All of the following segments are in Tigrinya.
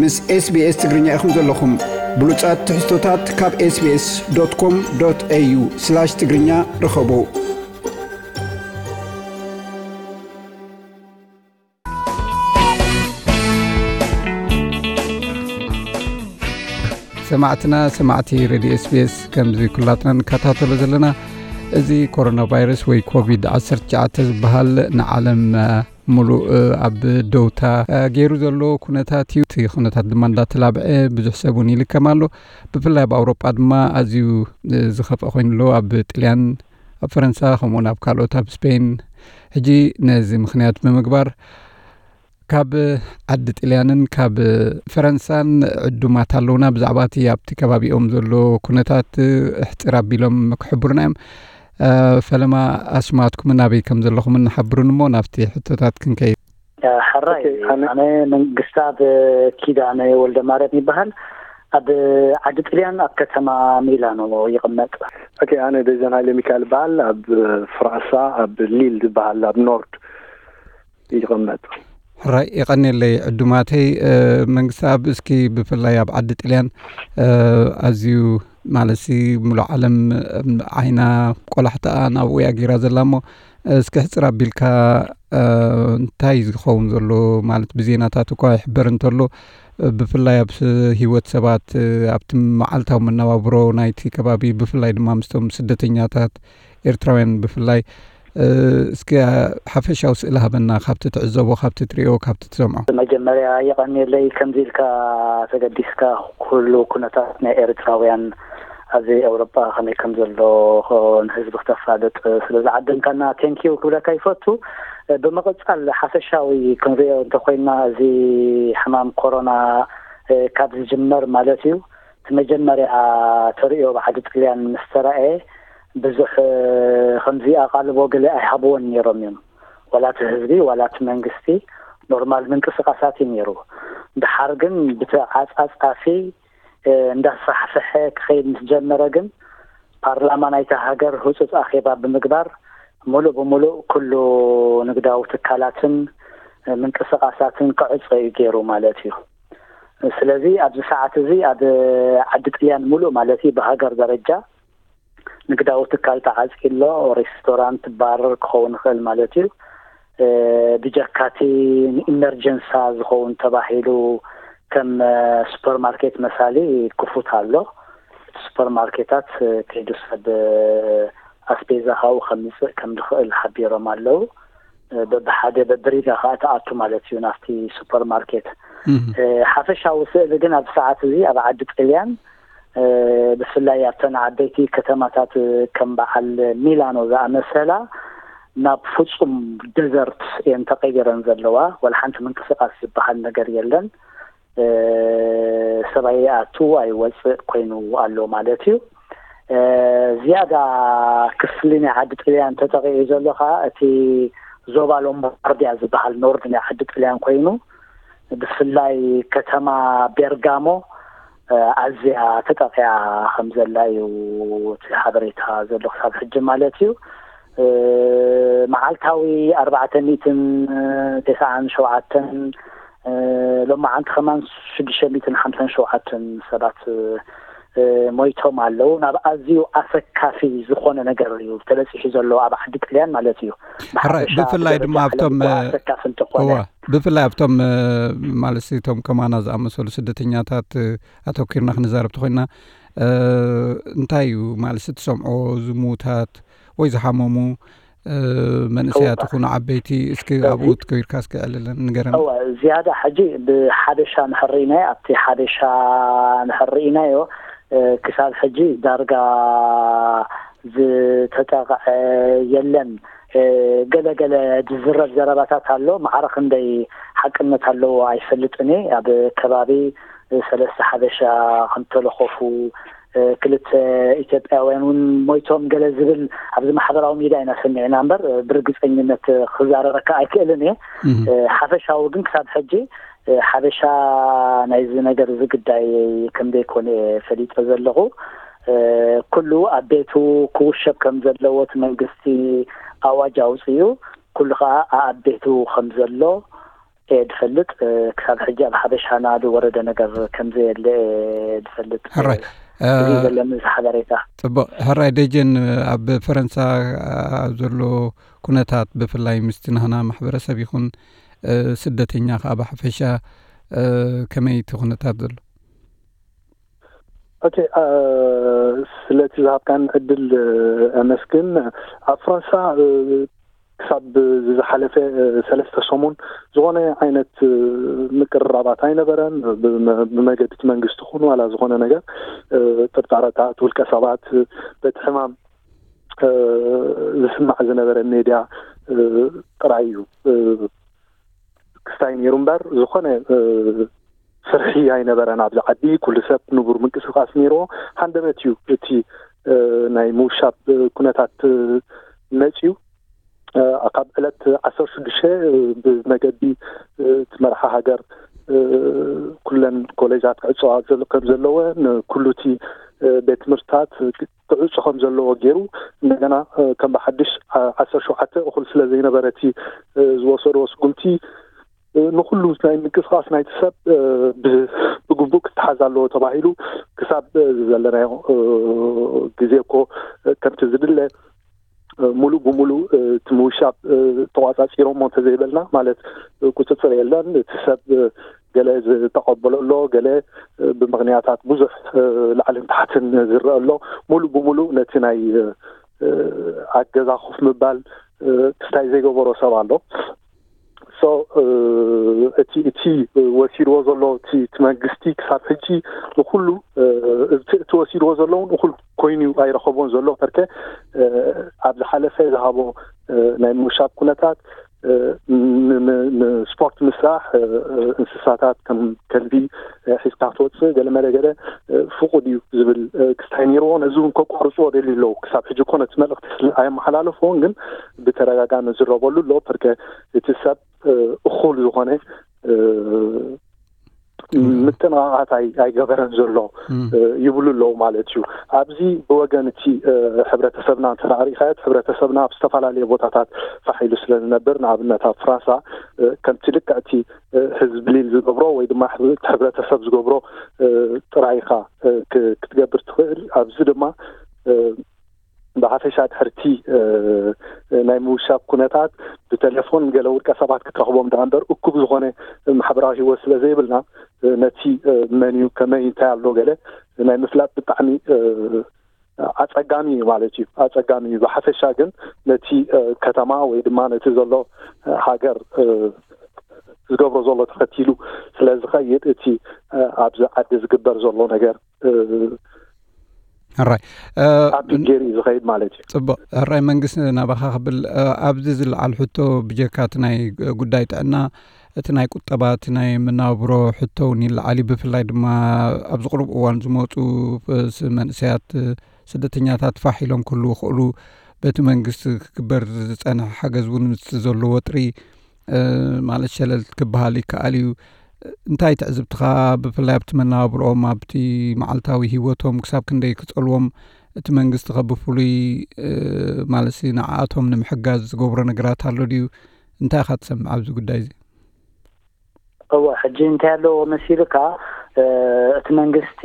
ምስ SBS ትግርኛ ኢኹም ዘለኹም። ብሉጻት ትሕዝቶታት ካብ SBS.com.au/ትግርኛ ርኸቡ። ሰማዕትና፣ ሰማዕቲ ሬድዮ SBS፣ ከምዚ ኩላትና ንከታተሎ ዘለና፣ እዚ ኮሮና ቫይረስ ወይ ኮቪድ-19 ዝበሃል ንዓለም፣ እ፣ ሙሉእ፣ እ፣ ኣብ ደውታ፣ እ፣ ገይሩ ዘሎ ኩነታት እዩ። እቲ ኩነታት ድማ እንዳተላብዐ ብዙሕ ሰብ እውን ይልከም ኣሎ። ብፍላይ ኣብ ኣውሮጳ ድማ ኣዝዩ፣ እ፣ ዝኸፍአ ኮይኑ ኣሎ። ኣብ ጥልያን፣ ኣብ ፈረንሳ፣ ከምኡውን ኣብ ካልኦት፣ ኣብ ስፔን። ሕጂ ነዚ ምኽንያት ብምግባር ካብ ዓዲ ጥልያንን ካብ ፈረንሳን ዕዱማት ኣለውና። ብዛዕባ እቲ ኣብቲ ከባቢኦም ዘሎ ኩነታት እሕፅር ኣቢሎም ክሕብሩና እዮም። እ፣ ፈለማ ኣስማትኩምን ኣበይ ከም ዘለኹምን ሓብሩን እሞ ናብቲ ሕቶታት ክንከይድ። ሕራይ፣ ኦኬ፣ ኣነ ኣነ መንግስታብ ኪዳነ ወልደ ማርያም ይበሃል። ኣብ ዓዲ ጥልያን ኣብ ከተማ ሚላኖ ይቕመጥ። ኦኬ፣ ኣነ ደጀን ሃይለ ሚካኤል ይበሃል። ኣብ ፍራንሳ ኣብ ሊል ዝበሃል ኣብ ኖርድ ይቕመጥ። ሕራይ፣ የቐንየለይ ዕዱማተይ። እ፣ መንግስቲ ኣብ እስኪ ብፍላይ ኣብ ዓዲ ጥልያን፣ እ፣ ኣዝዩ ማለትሲ ሙሉእ ዓለም፣ እ፣ ዓይና ቆላሕታኣ ናብኡ እያ ገይራ ዘላ እሞ እስኪ ሕፅር ኣቢልካ፣ እ፣ እንታይ ዝኸውን ዘሎ ማለት ብዜናታት እኳ ይሕበር እንተሎ፣ እ፣ ብፍላይ ኣብ ስ-፣ ህይወት ሰባት፣ እ፣ ኣብቲ መዓልታዊ መነባብሮ ናይቲ ከባቢ ብፍላይ ድማ ምስቶም ስደተኛታት ኤርትራውያን ብፍላይ፣ እ፣ እስኪ ሓፈሻዊ ስእሊ ሃበና ካብቲ ትዕዘቦ፣ ካብቲ ትሪኦ፣ ካብቲ ትሰምዖ። መጀመርያ የቐንየለይ ከምዚ ኢልካ ተገዲስካ ኩሉ ኩነታት ናይ ኤርትራውያን ኣብዚ ኤውሮጳ ከመይ ከም ዘሎ ንህዝቢ ክተፋልጥ ስለ ዝዓደምካና ቴንኪዩ ክብለካ ይፈቱ። ብምቕጻል ሓፈሻዊ ክንሪኦ እንተኾይና እዚ ሕማም ኮሮና፣ እ፣ ካብ ዝጅመር ማለት እዩ። እቲ መጀመርያ ተርእዮ ብዓዲ ጥልያን ምስ ተራእየ ብዙሕ፣ እ፣ ከምዚ ኣቓልቦ ገለ ኣይሃብዎን ነይሮም እዮም። ዋላ እቲ ህዝቢ ዋላ እቲ መንግስቲ ኖርማል ምንቅስቓሳት እዩ ነይሩ። ድሓር ግን ብተዓጻጻፊ፣ እ፣ እንዳስፋሕፈሐ ክኸይድ ምስ ጀመረ ግን ፓርላማ ናይታ ሃገር ህጹጽ ኣኼባ ብምግባር ምሉእ ብምሉእ ኩሉ ንግዳዊ ትካላትን፣ እ፣ ምንቅስቓሳትን ክዕጾ እዩ ገይሩ ማለት እዩ። ስለዚ ኣብዚ ሰዓት እዚ ኣብ ዓዲ ጥልያን ሙሉእ ማለት እዩ ብሃገር ደረጃ ንግዳዊ ትካል ተዓጽዩ ኣሎ። ሬስቶራንት፣ ባር ክኸውን ይኽእል ማለት እዩ። እ፣ ብጀካቲ ንኢመርጀንሳ ዝኸውን ተባሂሉ ከም፣ እ፣ ሱፐርማርኬት መሳሊ ክፉት ኣሎ። ሱፐርማርኬታት፣ እ፣ ከይዱ ሰብ፣ እ፣ ኣስቤዛ ካብኡ ከምጽእ ከም ዝኽእል ሓቢሮም ኣለዉ። እ፣ በብሓደ በብሪጋ ከኣ ትኣቱ ማለት እዩ ናብቲ ሱፐርማርኬት። እህ። እ፣ ሓፈሻዊ ስእሊ ግን ኣብዚ ሰዓት እዚ ኣብ ዓዲ ጥልያን፣ እ፣ ብፍላይ ኣብተን ዓበይቲ ከተማታት ከም በዓል ሚላኖ ዝኣመሰላ ናብ ፍጹም ደዘርት እየን ተቐይረን ዘለዋ። ወላ ሓንቲ ምንቅስቓስ ዝበሃል ነገር የለን። እ፣ ሰብ ኣይኣቱ ኣይወጽእ ኮይኑ ኣሎ ማለት እዩ። እ፣ ዝያዳ ክፍሊ ናይ ዓዲ ጥልያን ተጠቒዑ ዘሎ ኸኣ እቲ ዞባ ሎምባርዲያ ዝበሃል ኖርድ ናይ ዓዲ ጥልያን ኮይኑ ብፍላይ ከተማ ቤርጋሞ፣ እ፣ ኣዝያ ተጠቒዓ ከም ዘላ እዩ እቲ ሓበሬታ ዘሎ ክሳብ ሕጂ ማለት እዩ። እ፣ መዓልታዊ ኣርባዕተ ሚእትን ተስዓን ሸውዓተን፣ እ፣ ሎማዓንቲ ከማን ሽዱሽተ ሚእትን ሓምሳን ሸውዓተን ሰባት፣ እ፣ ሞይቶም ኣለዉ። ናብ ኣዝዩ ኣሰካፊ ዝኾነ ነገር እዩ ተበጺሑ ዘሎ ኣብ ዓዲ ጥልያን ማለት እዩ። ሕራይ፣ ብሓፈሻ ብፍላይ ድማ ዝደረጃ ኣብቶም፣ ዓለም እኳ እ፣ ኣሰካፊ እንተኾነ። እዋ፣ ብፍላይ ኣብቶም፣ እ፣ ማለት እቶም ከማና ዝኣመሰሉ ስደተኛታት፣ እ፣ ኣተኲርና ክንዛረብ ተኾይና፣ እ፣ እንታይ እዩ ማለት ትሰምዖ ዝሙታት ወይ ዝሓመሙ፣ እ፣ መንእሰያት እዋ። ይኹኑ ዓበይቲ፣ እስኪ እሺ። ኣብኡ ትከይድካ እስኪ ዕልልን ንገረን። እዋ፣ ዝያዳ ሕጂ ብሓበሻ ንሕርኢናዮ፣ ኣብቲ ሓበሻ ንሕርኢናዮ፣ እ፣ ክሳብ ሕጂ ዳርጋ ዝተጠቕዐ የለን። እ፣ ገለ ገለ ዝዝረብ ዘረባታት ኣሎ፣ ማዕረ ክንደይ ሓቅነት ኣለዎ ኣይፈልጥን እየ። ኣብ ከባቢ ሰለስተ ሓበሻ ከም ተለኾፉ፣ እ፣ ክልተ ኢትዮጵያውያን እውን ሞይቶም ገለ ዝብል ኣብዚ ማሕበራዊ ሚድያ ኢና ሰሚዕና እምበር፣ እ፣ ብርግጸኝነት ክዛረበካ ኣይክእልን እየ። እህ። እ፣ ሓፈሻዊ ግን ክሳብ ሕጂ፣ እ፣ ሓበሻ ናይዚ ነገር እዚ ግዳይ ከም ዘይኮነ እየ ፈሊጠ ዘለኹ። እ፣ ኩሉ ኣብ ቤቱ ክውሸብ ከም ዘለዎ እቲ መንግስቲ ኣዋጅ ኣውጺኡ፣ ኩሉ ኸኣ ኣብ ቤቱ ከም ዘሎ እየ ዝፈልጥ። ክሳብ ሕጂ ኣብ ሓበሻና ዝወረደ ነገር ከም ዘየለ እየ ዝፈልጥ። ሕራይ እዚ ዘለኒ እዚ ሓበሬታ። ጽቡቕ። ሕራይ ደጀን፣ ኣብ ፈረንሳ ዘሎ ኩነታት፣ ብፍላይ ምስቲ ናህና ማሕበረሰብ ይኹን ስደተኛ ከዓ ብሓፈሻ ከመይ እቲ ኩነታት ዘሎ? ኦኬ፣ ስለቲ ዝሃብካን ዕድል ኣመስግን። ኣብ ፈረንሳ ክሳብ ዝሓለፈ ሰለስተ ሰሙን ዝኾነ ዓይነት ምቅርራባት ኣይነበረን። ብመገዲ እቲ መንግስቲ ኹን ዋላ ዝኾነ ነገር ጥርጣረታት ውልቀ ሰባት በቲ ሕማም ዝስማዕ ዝነበረ ሜድያ ጥራይ እዩ ክስታይ ነይሩ እምበር ዝኾነ ፍርሒ ኣይነበረን ኣብዚ ዓዲ። ኩሉ ሰብ ንቡር ምንቅስቃስ ነይርዎ። ሃንደበት እዩ እቲ ናይ ምውሻብ ኩነታት መፅዩ። ካብ ዕለት ዓሰርተ ሽዱሽተ ብመገዲ እቲ መርሓ ሃገር ኩለን ኮሌጃት ክዕፀዋ ከም ዘለወ፣ ንኩሉ እቲ ቤት ትምህርትታት ክዕፆ ከም ዘለዎ ገይሩ፣ እንደገና ከም ብሓድሽ ዓሰርተ ሸውዓተ እኹል ስለ ዘይነበረ እቲ ዝወሰድዎ ስጉምቲ ንኩሉ ናይ ምንቅስቃስ ናይቲ ሰብ ብግቡእ ክተሓዝ ኣለዎ ተባሂሉ። ክሳብ ዘለናዮ ግዜ እኮ ከምቲ ዝድለ ሙሉእ ብሙሉእ እቲ ምውሻብ ተቋፃፂሮሞ እንተዘይበልና፣ ማለት ቁፅፅር የለን፣ እቲ ሰብ ገለ ዝተቐበሎ ኣሎ፣ ገለ ብምክንያታት ብዙሕ ላዕልን ታሕትን ዝረአ ኣሎ። ሙሉእ ብሙሉእ ነቲ ናይ ኣብ ገዛ ኮፍ ምባል ክስታይ ዘይገበሮ ሰብ ኣሎ። So እቲ እቲ ወሲድዎ ዘሎ እቲ እቲ መንግስቲ ክሳብ ሕጂ ንኩሉ እቲ እቲ ወሲድዎ ዘሎ እውን እኹል ኮይኑ ኣይረኸቦን ዘሎ። ፐርከ ኣብ ዝሓለፈ ዝሃቦ ናይ ምውሻብ ኩነታት ንስፖርት ምስራሕ፣ እንስሳታት ከም ከልቢ ሒዝካ ክትወፅእ ገለ መለ ገለ ፍቁድ እዩ ዝብል ክስታይ ነይርዎ። ነዚ እውን ከቋርፅዎ ደልዩ ኣለዉ። ክሳብ ሕጂ እኮ ነቲ መልእክቲ ኣየመሓላለፍዎን፣ ግን ብተደጋጋሚ ዝረበሉ ኣሎ። ፐርከ እቲ ሰብ እኹል ዝኾነ ምጥንቃቓት ኣይገበረን ዘሎ ይብሉ ኣለዉ ማለት እዩ። ኣብዚ ብወገን እቲ ሕብረተሰብና እንተ ርኢኻዮ፣ እቲ ሕብረተሰብና ኣብ ዝተፈላለየ ቦታታት ፋሕ ኢሉ ስለ ዝነብር፣ ንኣብነት ኣብ ፍራንሳ ከምቲ ልክዕ እቲ ህዝቢ ሊል ዝገብሮ ወይ ድማ እቲ ሕብረተሰብ ዝገብሮ ጥራይ ኢኻ ክትገብር ትኽእል። ኣብዚ ድማ ብሓፈሻ ድሕርቲ ናይ ምውሻብ ኩነታት ብቴሌፎን ገለ ውልቀ ሰባት ክትረኽቦም ደኣ እምበር እኩብ ዝኾነ ማሕበራዊ ህይወት ስለ ዘይብልና፣ ነቲ መን እዩ ከመይ እንታይ ኣሎ ገለ ናይ ምፍላጥ ብጣዕሚ ኣጸጋሚ እዩ ማለት እዩ። ኣጸጋሚ እዩ። ብሓፈሻ ግን ነቲ ከተማ ወይ ድማ ነቲ ዘሎ ሃገር ዝገብሮ ዘሎ ተኸቲሉ ስለ ዝኸይድ፣ እቲ ኣብዚ ዓዲ ዝግበር ዘሎ ነገር ሕራይ ኣብ ገይሩ እዩ ዝኸይድ ማለት እዩ። ጽቡቕ። ሕራይ መንግስቲ፣ ናባኻ ክብል ኣብዚ ዝለዓል ሕቶ ብጀካ እቲ ናይ ጉዳይ ጥዕና፣ እቲ ናይ ቁጠባ፣ እቲ ናይ መናብሮ ሕቶ እውን ይለዓል እዩ። ብፍላይ ድማ ኣብዚ ቅሩብ እዋን ዝመፁ መንእሰያት ስደተኛታት ፋሕ ኢሎም ክህልዉ ክእሉ በቲ መንግስቲ ክግበር ዝፀንሐ ሓገዝ እውን ምስ ዘሎ ወጥሪ ማለት ሸለል ክበሃል ይከኣል እዩ። እንታይ ትዕዝብትኻ፣ ብፍላይ ኣብቲ መነባብርኦም፣ ኣብቲ መዓልታዊ ህይወቶም ክሳብ ክንደይ ክጸልዎም፣ እቲ መንግስቲ ከ ብፍሉይ ማለት ንዓኣቶም ንምሕጋዝ ዝገብሮ ነገራት ኣሎ ድዩ? እንታይ ኢኻ ትሰምዕ ኣብዚ ጉዳይ እዚ? እወ፣ ሕጂ እንታይ ኣለዎ መሲልካ፣ እቲ መንግስቲ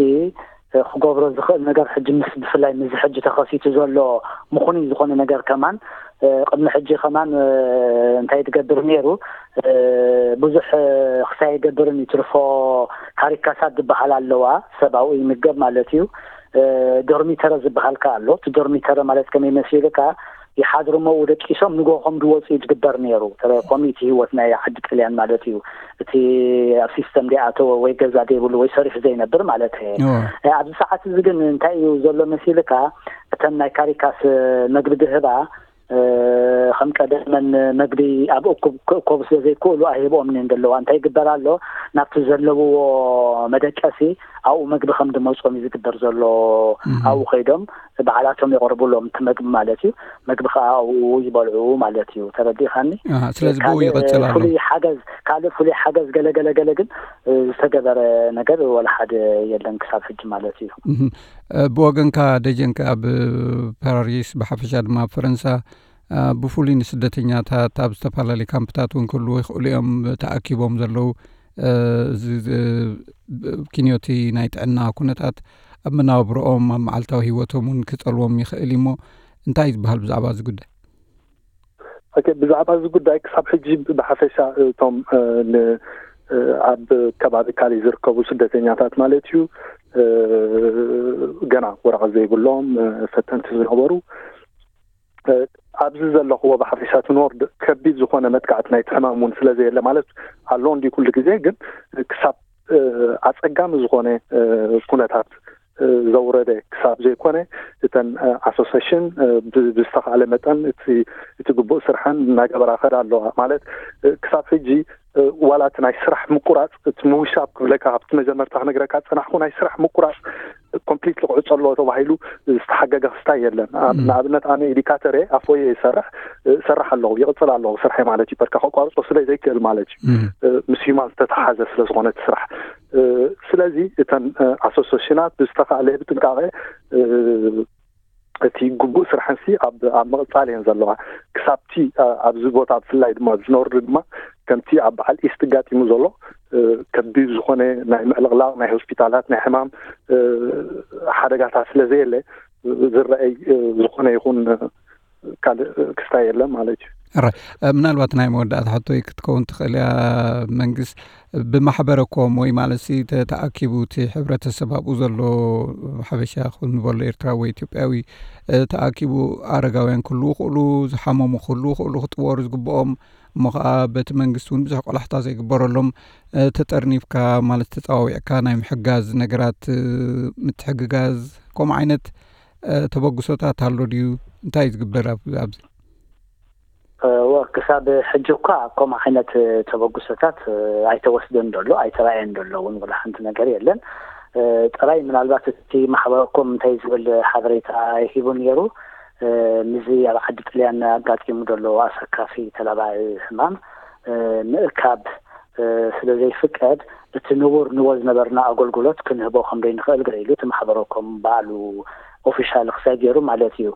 ክገብሮ ዝኽእል ነገር ሕጂ ምስ ብፍላይ ምስ ሕጂ ተኸሲቱ ዘሎ ምኹኑይ ዝኾነ ነገር ከማን ቅድሚ ሕጂ ከማን እንታይ ትገብር ነይሩ፣ ብዙሕ ክሳይ ይገብርን ይትርፎ ካሪካሳት ዝበሃል ኣለዋ፣ ሰብኣዊ ይምገብ ማለት እዩ። ዶርሚተረ ዝበሃል ከ ኣሎ። እቲ ዶርሚተረ ማለት ከመይ መሲልካ ይሓድሩ እሞ ደቂሶም ንጎሆም ዝወፁ እዩ ዝግበር ነይሩ። ኮሚቲ ህይወት ናይ ዓዲ ጥልያን ማለት እዩ። እቲ ኣብ ሲስተም ዘይኣተወ ወይ ገዛ ዘይብሉ ወይ ሰሪሑ ዘይነብር ማለት እየ። ኣብዚ ሰዓት እዚ ግን እንታይ እዩ ዘሎ መሲልካ፣ እተን ናይ ካሪካስ መግቢ ድህባ ከም ቀደመን መግቢ ኣብ እኩብ ክእከቡ ስለ ዘይክእሉ ኣይህብኦምን እየን ዘለዋ። እንታይ ይግበር ኣሎ፣ ናብቲ ዘለውዎ መደቀሲ ኣብኡ መግቢ ከም ድመፅኦም እዩ ዝግበር ዘሎ። ኣብኡ ከይዶም ባዕላቶም የቕርቡሎም እቲ መግቢ ማለት እዩ። መግቢ ከዓ ኣብኡ ይበልዑ ማለት እዩ። ተረዲእካኒ? ስለዚ ብኡ ይቐፅል ኣሎ። ፍሉይ ሓገዝ፣ ካልእ ፍሉይ ሓገዝ ገለ ገለ ገለ ግን ዝተገበረ ነገር ወላ ሓደ የለን ክሳብ ሕጂ ማለት እዩ። ብወገንካ ደጀንካ ኣብ ፓሪስ ብሓፈሻ ድማ ኣብ ፈረንሳ ብፍሉይ ንስደተኛታት ኣብ ዝተፈላለዩ ካምፕታት እውን ክህልዉ ይኽእሉ እዮም። ተኣኪቦም ዘለዉ፣ እዚ ኪንዮቲ ናይ ጥዕና ኩነታት ኣብ መናብሮኦም፣ ኣብ መዓልታዊ ህይወቶም እውን ክጸልዎም ይኽእል እዩ። እሞ እንታይ ዝበሃል ብዛዕባ እዚ ጉዳይ? ብዛዕባ እዚ ጉዳይ ክሳብ ሕጂ ብሓፈሻ እቶም ኣብ ከባቢ ካሊ ዝርከቡ ስደተኛታት ማለት እዩ፣ ገና ወረቐት ዘይብሎም ፈተንቲ ዝነበሩ፣ ኣብዚ ዘለኽዎ ብሓፈሻ እቲ ኖርድ ከቢድ ዝኾነ መጥቃዕቲ ናይቲ ሕማም እውን ስለ ዘየለ ማለት ኣሎ እንዲ ኩሉ ግዜ፣ ግን ክሳብ ኣጸጋሚ ዝኾነ ኩነታት ዘውረደ ክሳብ ዘይኮነ፣ እተን ኣሶሴሽን ብዝተኻእለ መጠን እቲ ግቡእ ስርሐን እናገበራ ከዳ ኣለዋ። ማለት ክሳብ ሕጂ ዋላ እቲ ናይ ስራሕ ምቁራፅ፣ እቲ ምውሻብ ክብለካ ካብቲ መጀመርታ ክነግረካ ዝፀናሕኩ፣ ናይ ስራሕ ምቁራፅ ኮምፕሊትሊ ክዕፆ ኣለዎ ተባሂሉ ዝተሓገገ ክስታይ የለን። ንኣብነት ኣነ ኤዲካተር እየ፣ ኣፎየ ይሰርሕ እሰርሕ ኣለኹ፣ ይቕፅል ኣለኹ ስርሐ ማለት እዩ። በርካ ከቋርፆ ስለ ዘይክእል ማለት እዩ፣ ምስ ሂማን ዝተተሓዘ ስለ ዝኾነ እቲ ስራሕ። ስለዚ እተን ኣሶሴሽናት ብዝተኻእለ ብጥንቃቐ እቲ ግቡእ ስራሕንሲ ኣብ ምቕፃል እየን ዘለዋ። ክሳብቲ ኣብዚ ቦታ ብፍላይ ድማ ኣብዚ ኖርድ ድማ ከምቲ ኣብ በዓል ኢስት ኣጋጢሙ ዘሎ ከቢድ ዝኾነ ናይ ምዕልቕላቕ ናይ ሆስፒታላት ናይ ሕማም ሓደጋታት ስለ ዘየለ ዝረአይ ዝኾነ ይኹን ካልእ ክስታይ የለን ማለት እዩ። ምናልባት ናይ መወዳእታ ሕቶይ ክትከውን ትኽእል እያ። መንግስት ብማሕበረኮም ወይ ማለት ተኣኪቡ እቲ ሕብረተሰብ ኣብኡ ዘሎ ሓበሻ ክበሎ ኤርትራዊ ወይ ኢትዮጵያዊ ተኣኪቡ ኣረጋውያን ክህልዉ ይኽእሉ፣ ዝሓመሙ ክህልዉ ይኽእሉ፣ ክጥወሩ ዝግብኦም እሞ ከዓ በቲ መንግስቲ እውን ብዙሕ ቆላሕታ ዘይግበረሎም ተጠርኒፍካ ማለት ተፀዋዊዕካ ናይ ምሕጋዝ ነገራት ምትሕግጋዝ ከምኡ ዓይነት ተበግሶታት ኣሎ ድዩ? እንታይ እዩ ዝግበር ኣብዚ? ወ ክሳብ ሕጂ እኳ ከምኡ ዓይነት ተበግሶታት ኣይተወስደን ዘሎ ኣይተራእየን ዘሎ እውን ወላ ሓንቲ ነገር የለን። ጥራይ ምናልባት እቲ ማሕበረኮም እንታይ ዝብል ሓበሬታ ሂቡ ነይሩ፣ ምስዚ ኣብ ዓዲ ጥልያን ኣጋጢሙ ዘሎ ኣሰካፊ ተላባዒ ሕማም ምእካብ ስለ ዘይፍቀድ እቲ ንቡር ንቦ ዝነበርና ኣገልግሎት ክንህቦ ከም ዘይንኽእል ገለ ኢሉ እቲ ማሕበረኮም ባዕሉ ኦፊሻል ክሳይ ገይሩ ማለት እዩ።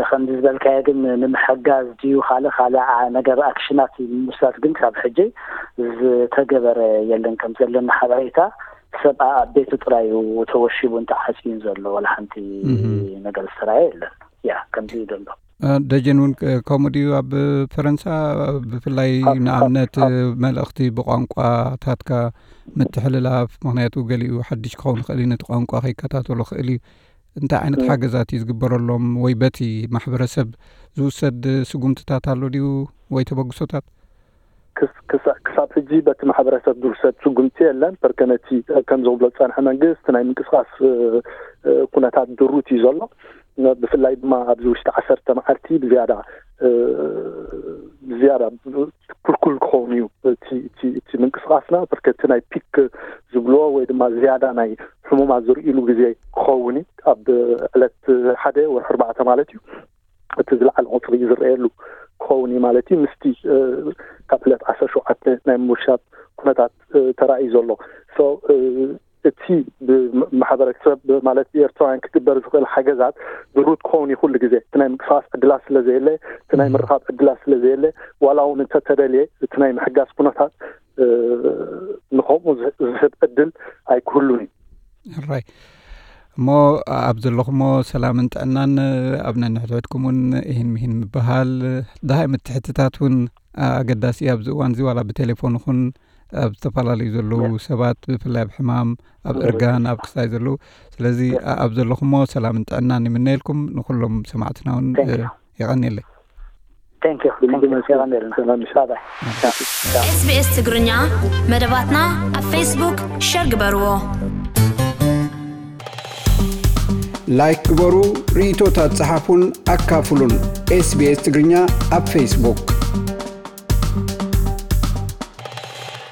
ከምዚ ዝበልካዮ ግን ንምሕጋዝ ድዩ ካልእ ካልእ ነገር ኣክሽናት ንምውሳድ ግን ካብ ሕጂ ዝተገበረ የለን። ከም ዘለና ሓበሬታ ሰብኣ ኣብ ቤቱ ጥራይ እዩ ተወሺቡ እንተዓፅዩ ዘሎ ዋላ ሓንቲ ነገር ዝተራየ የለን። ያ ከምዚ እዩ ዘሎ። ደጀን እውን ከምኡ ድዩ ኣብ ፈረንሳ? ብፍላይ ንኣብነት መልእኽቲ ብቋንቋታትካ ምትሕልላፍ፣ ምክንያቱ ገሊኡ ሓድሽ ክኸውን ይኽእል እዩ፣ ነቲ ቋንቋ ከይከታተሎ ክእል እዩ። እንታይ ዓይነት ሓገዛት እዩ ዝግበረሎም ወይ በቲ ማሕበረሰብ ዝውሰድ ስጉምትታት ኣሎ ድዩ ወይ ተበግሶታት? ክሳብ ሕጂ በቲ ማሕበረሰብ ዝውሰድ ስጉምቲ የለን። በርከነቲ ከም ዝብሎ ዝፀንሐ መንግስቲ ናይ ምንቅስቃስ ኩነታት ድሩት እዩ ዘሎ። ብፍላይ ድማ ኣብዚ ውሽጢ ዓሰርተ መዓልቲ ብዝያዳ ብዝያዳ ክልኩል ክኸውን እዩ እቲ ምንቅስቃስና። በርከቲ ናይ ፒክ ዝብልዎ ወይ ድማ ዝያዳ ናይ ሕሙማት ዝርእሉ ግዜ ክኸውን እዩ። ኣብ ዕለት ሓደ ወርሒ ኣርባዕተ ማለት እዩ። እቲ ዝለዓለ ቁፅሪ ዝረኣየሉ ክኸውን እዩ ማለት እዩ። ምስቲ ካብ ዕለት ዓሰርተ ሸውዓተ ናይ ምውሻብ ኩነታት ተራእዩ ዘሎ እቲ ብማሕበረሰብ ማለት ብኤርትራውያን ክግበር ዝኽእል ሓገዛት ድሩት ክኸውን እዩ። ኩሉ ግዜ እቲ ናይ ምንቅስቃስ ዕድላት ስለ ዘየለ፣ እቲ ናይ ምርኻብ ዕድላት ስለ ዘየለ፣ ዋላ እውን እንተተደልየ እቲ ናይ ምሕጋዝ ኩነታት ንኸምኡ ዝህብ ዕድል ኣይክህሉን እዩ። ራይ እሞ ኣብ ዘለኹሞ ሰላምን ጥዕናን ኣብ ነንሕድሕድኩም እውን ይህን ምሂን ምበሃል ድሃይ ምትሕትታት እውን ኣገዳሲ ኣብዚ እዋን እዚ ዋላ ብቴሌፎን ይኹን ኣብ ዝተፈላለዩ ዘለዉ ሰባት ብፍላይ ኣብ ሕማም ኣብ እርጋን ኣብ ክስታይ ዘለዉ። ስለዚ ኣብ ዘለኹሞ ሰላምን ጥዕናን ይምነየልኩም። ንኩሎም ሰማዕትና እውን የቐንየለይ። ኤስቢኤስ ትግርኛ መደባትና ኣብ ፌስቡክ ሸር ግበርዎ። ላይክ ግበሩ፣ ርእይቶታት ጸሓፉን ኣካፍሉን። ኤስቢኤስ ትግርኛ ኣብ ፌስቡክ።